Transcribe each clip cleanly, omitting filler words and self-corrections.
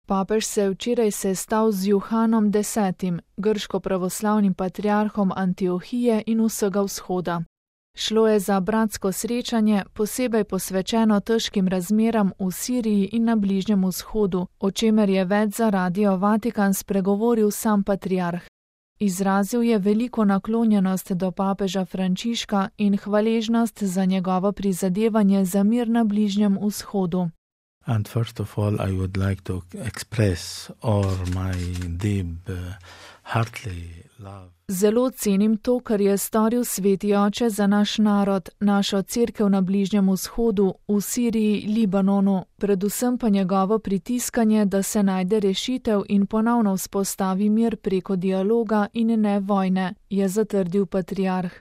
Papež se je včeraj sestal z Juhanom X., grško-pravoslavnim patriarhom Antiohije in vsega vzhoda. Šlo je za bratsko srečanje, posebej posvečeno težkim razmeram v Siriji in na Bližnjem vzhodu, o čemer je več za Radio Vatikan spregovoril sam patriarh. Izrazil je veliko naklonjenost do papeža Frančiška in hvaležnost za njegovo prizadevanje za mir na Bližnjem vzhodu. And first of all, I would like to express all my deep, heartly love. Zelo cenim to, kar je storil Sveti Oče za naš narod, našo cerkev na Bližnjem vzhodu, v Siriji, Libanonu, predvsem pa njegovo pritiskanje, da se najde rešitev in ponovno vzpostavi mir preko dialoga in ne vojne, je zatrdil patriarh.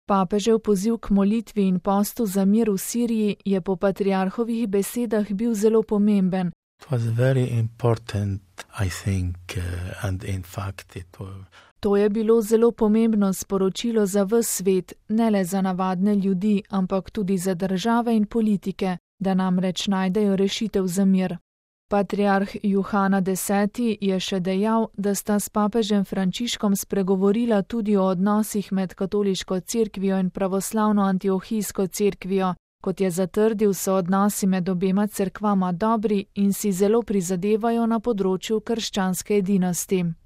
Papežev poziv k molitvi in postu za mir v Siriji je po patriarhovih besedah bil zelo pomemben. It was very important, I think, and in fact it was... To je bilo zelo pomembno sporočilo za ves svet, ne le za navadne ljudi, ampak tudi za države in politike, da namreč najdejo rešitev za mir. Patriarh Juhana X. je še dejal, da sta s papežem Frančiškom spregovorila tudi o odnosih med katoliško cerkvijo in pravoslavno antiohijsko cerkvijo. Kot je zatrdil, so odnosi med obema cerkvama dobri in si zelo prizadevajo na področju krščanske edinosti.